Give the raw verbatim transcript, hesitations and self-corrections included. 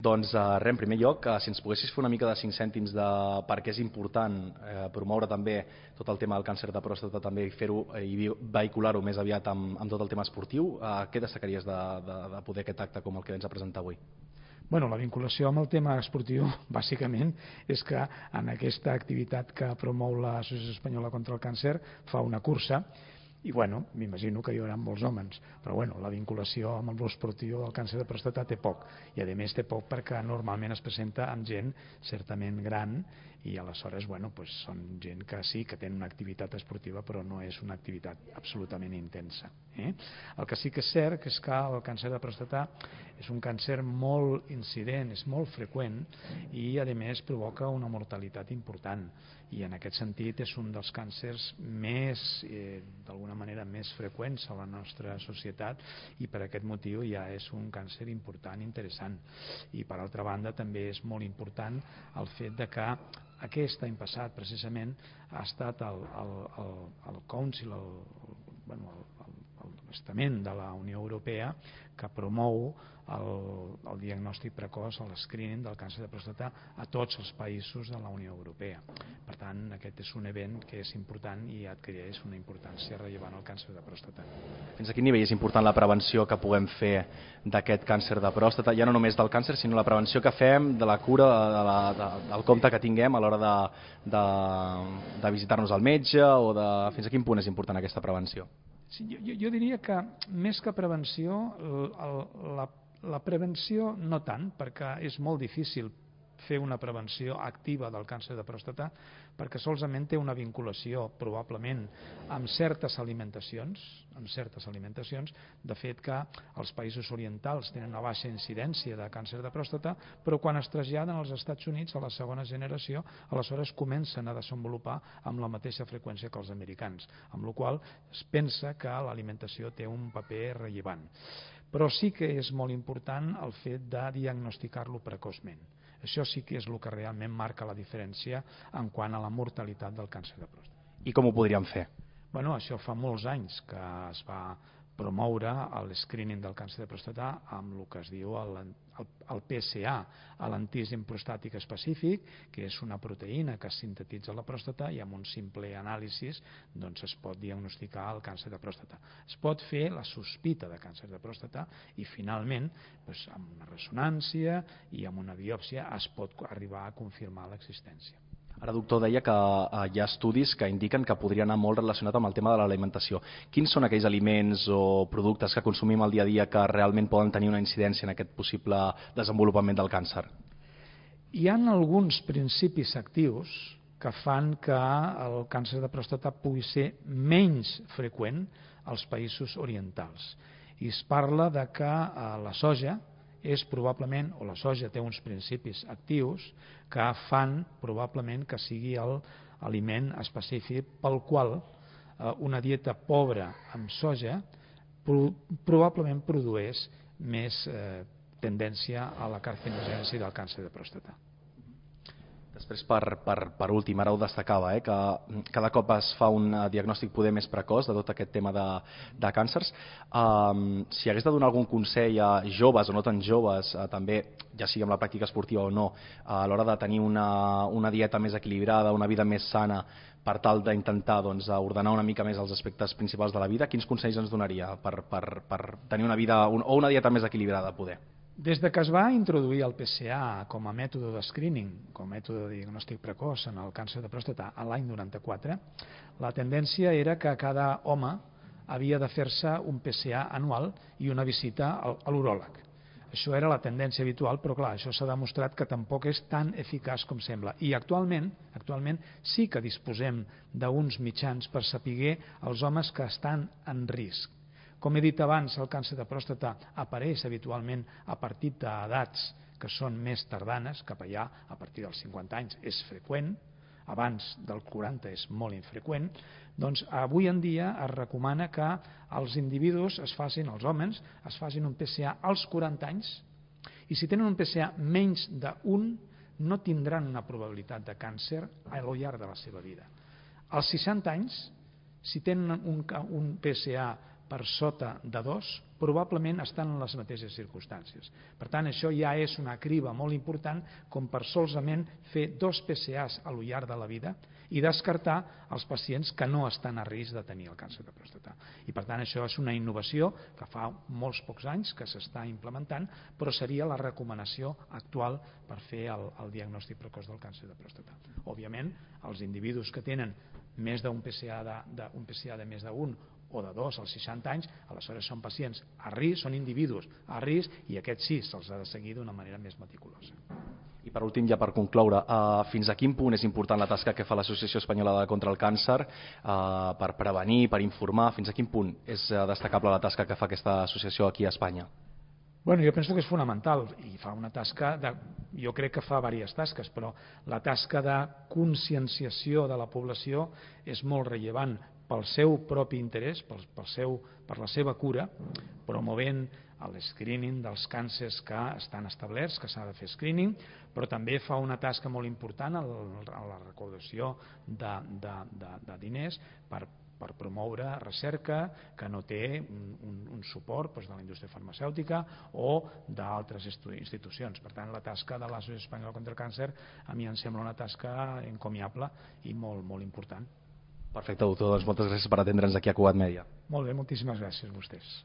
Doncs res, en primer lloc, si ens poguessis fer una mica de cinc cèntims de per què és important promoure també tot el tema del càncer de pròstata també i fer-ho i vehicular-ho més aviat amb tot el tema esportiu, què destacaries de poder aquest acte com el que ens ha presentat avui? Bueno, la vinculació amb el tema esportiu, bàsicament, és que en aquesta activitat que promou l'Associació Espanyola contra el Càncer fa una cursa i, bueno, m'imagino que hi haurà molts homes, però, bueno, la vinculació amb l'esportiu del càncer de pròstata té poc, i, a més, té poc perquè normalment es presenta amb gent certament gran i, aleshores, bueno, pues, són gent que sí, que tenen una activitat esportiva, però no és una activitat absolutament intensa. Eh? El que sí que és cert que és que el càncer de pròstata és un càncer molt incident, és molt freqüent i, a més, provoca una mortalitat important. I en aquest sentit és un dels càncers més, eh, d'alguna manera, més freqüents a la nostra societat i per aquest motiu ja és un càncer important i interessant. I per altra banda també és molt important el fet de que aquest any passat precisament ha estat el, el, el, el Council, el, bueno, el, el, l'estament de la Unió Europea que promou el, el diagnòstic precoç, el screening del càncer de pròstata a tots els països de la Unió Europea. Per tant, aquest és un event que és important i adquireix una importància rellevant al càncer de pròstata. Fins a quin nivell és important la prevenció que puguem fer d'aquest càncer de pròstata, ja no només del càncer, sinó la prevenció que fem de la cura, de la, de, del compte que tinguem a l'hora de, de, de visitar-nos al metge, o de fins a quin punt és important aquesta prevenció? Sí, jo, jo diria que més que prevenció, el, la, la prevenció no tant, perquè és molt difícil fer una prevenció activa del càncer de pròstata perquè solament té una vinculació probablement amb certes alimentacions, amb certes alimentacions, de fet que els països orientals tenen una baixa incidència de càncer de pròstata, però quan es traslladen als Estats Units a la segona generació, aleshores comencen a desenvolupar amb la mateixa freqüència que els americans, amb la qual cosa es pensa que l'alimentació té un paper rellevant. Però sí que és molt important el fet de diagnosticar-lo precoçment. Això sí que és el que realment marca la diferència en quant a la mortalitat del càncer de pròstata. I com ho podríem fer? Bueno, això fa molts anys que es va promoure el screening del càncer de pròstata amb el que es diu el, el, el P S A, l'antígen prostàtic específic, que és una proteïna que es sintetitza a la pròstata i amb un simple anàlisi doncs, es pot diagnosticar el càncer de pròstata. Es pot fer la sospita de càncer de pròstata i finalment doncs, amb una ressonància i amb una biòpsia es pot arribar a confirmar l'existència. Ara, doctor, deia que hi ha estudis que indiquen que podria anar molt relacionat amb el tema de l'alimentació. Quins són aquells aliments o productes que consumim al dia a dia que realment poden tenir una incidència en aquest possible desenvolupament del càncer? Hi ha alguns principis actius que fan que el càncer de pròstata pugui ser menys freqüent als països orientals. I es parla de que la soja és probablement, o la soja té uns principis actius que fan probablement que sigui l'aliment específic pel qual una dieta pobra amb soja probablement produeix més tendència a la carcinogènesi del càncer de pròstata. Després, per, per, per últim, ara ho destacava, eh, que cada cop es fa un diagnòstic poder més precoç de tot aquest tema de, de càncers. Um, si hagués de donar algun consell a joves o no tan joves, uh, també, ja sigui amb la pràctica esportiva o no, uh, a l'hora de tenir una, una dieta més equilibrada, una vida més sana, per tal d'intentar doncs, ordenar una mica més els aspectes principals de la vida, quins consells ens donaria per, per, per tenir una vida un, o una dieta més equilibrada, poder? Des de que es va introduir el P S A com a mètode de screening, com a mètode de diagnòstic precoç en el càncer de pròstata a l'any noranta-quatre, la tendència era que cada home havia de fer-se un P S A anual i una visita a l'uròleg. Això era la tendència habitual, però clar, això s'ha demostrat que tampoc és tan eficaç com sembla. I actualment, actualment sí que disposem d'uns mitjans per saber els homes que estan en risc. Com he dit abans, el càncer de pròstata apareix habitualment a partir d'edats que són més tardanes, cap allà a partir dels cinquanta anys és freqüent, abans del quaranta és molt infreqüent, doncs avui en dia es recomana que els individus es facin, els homes, es facin un P S A als quaranta anys i si tenen un P S A menys d'un, no tindran una probabilitat de càncer al llarg de la seva vida. Als seixanta anys, si tenen un, un P S A per sota de dos, probablement estan en les mateixes circumstàncies. Per tant, això ja és una criba molt important com per solament fer dos P C As a lo llarg de la vida i descartar els pacients que no estan a risc de tenir el càncer de pròstata. I per tant, això és una innovació que fa molts pocs anys que s'està implementant, però seria la recomanació actual per fer el, el diagnòstic precoç del càncer de pròstata. Òbviament, els individus que tenen més d'un P C A de, de, un P C A de més d'un o de dos als seixanta anys, aleshores són pacients a risc, són individus a risc i aquests sí se'ls ha de seguir d'una manera més meticulosa. I per últim, ja per concloure, uh, fins a quin punt és important la tasca que fa l'Associació Espanyola contra el Càncer uh, per prevenir, per informar, fins a quin punt és uh, destacable la tasca que fa aquesta associació aquí a Espanya? Bueno, jo penso que és fonamental i fa una tasca, de, jo crec que fa diverses tasques, però la tasca de conscienciació de la població és molt rellevant pel seu propi interès, pel, pel seu, per la seva cura, promovent el screening dels càncers que estan establerts, que s'ha de fer screening, però també fa una tasca molt important a la recaudació de, de, de, de diners per per promoure recerca que no té un, un suport doncs, de la indústria farmacèutica o d'altres institucions. Per tant, la tasca de l'Associació Espanyola contra el Càncer a mi em sembla una tasca encomiable i molt, molt important. Perfecte, doctor. Doncs moltes gràcies per atendre'ns aquí a Cugat Mèdia. Molt bé, moltíssimes gràcies a vostès.